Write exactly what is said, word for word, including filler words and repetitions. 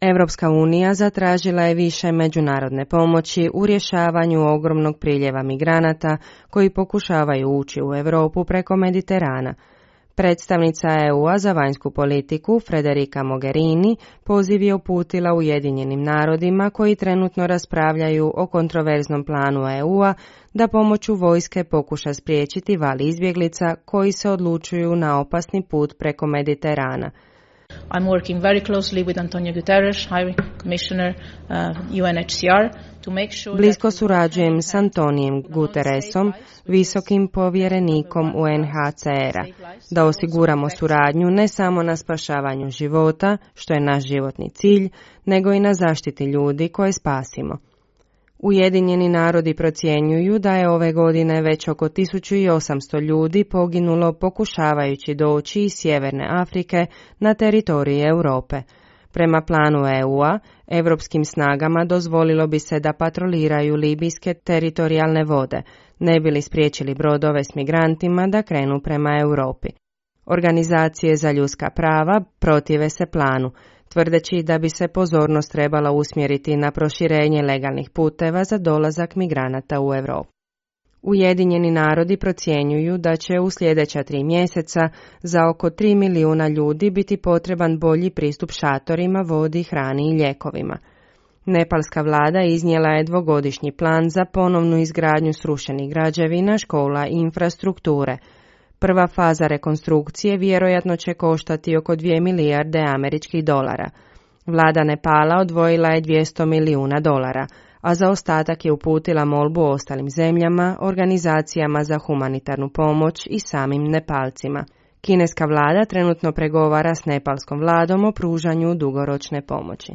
Europska unija zatražila je više međunarodne pomoći u rješavanju ogromnog priljeva migranata koji pokušavaju ući u Europu preko Mediterana. Predstavnica E U-a za vanjsku politiku Federica Mogherini poziv je uputila Ujedinjenim narodima koji trenutno raspravljaju o kontroverznom planu E U-a da pomoću vojske pokuša spriječiti val izbjeglica koji se odlučuju na opasni put preko Mediterana. I'm working very closely with Antonio Guterres, High Commissioner uh, U N H C R, to make sure Blisko surađujem s Antonijem Guterresom, visokim povjerenikom U N H C R-a, da osiguramo suradnju ne samo na spašavanju života, što je naš životni cilj, nego i na zaštiti ljudi koje spasimo. Ujedinjeni narodi procjenjuju da je ove godine već oko tisuću osamsto ljudi poginulo pokušavajući doći iz Sjeverne Afrike na teritoriji Europe. Prema planu E U-a, europskim snagama dozvolilo bi se da patroliraju libijske teritorijalne vode, ne bi li spriječili brodove s migrantima da krenu prema Europi. Organizacije za ljudska prava protive se planu, tvrdeći da bi se pozornost trebala usmjeriti na proširenje legalnih puteva za dolazak migranata u Europu. Ujedinjeni narodi procjenjuju da će u sljedeća tri mjeseca za oko tri milijuna ljudi biti potreban bolji pristup šatorima, vodi, hrani i lijekovima. Nepalska vlada iznijela je dvogodišnji plan za ponovnu izgradnju srušenih građevina, škola i infrastrukture. Prva faza rekonstrukcije vjerojatno će koštati oko dvije milijarde američkih dolara. Vlada Nepala odvojila je dvjesto milijuna dolara, a za ostatak je uputila molbu ostalim zemljama, organizacijama za humanitarnu pomoć i samim Nepalcima. Kineska vlada trenutno pregovara s nepalskom vladom o pružanju dugoročne pomoći.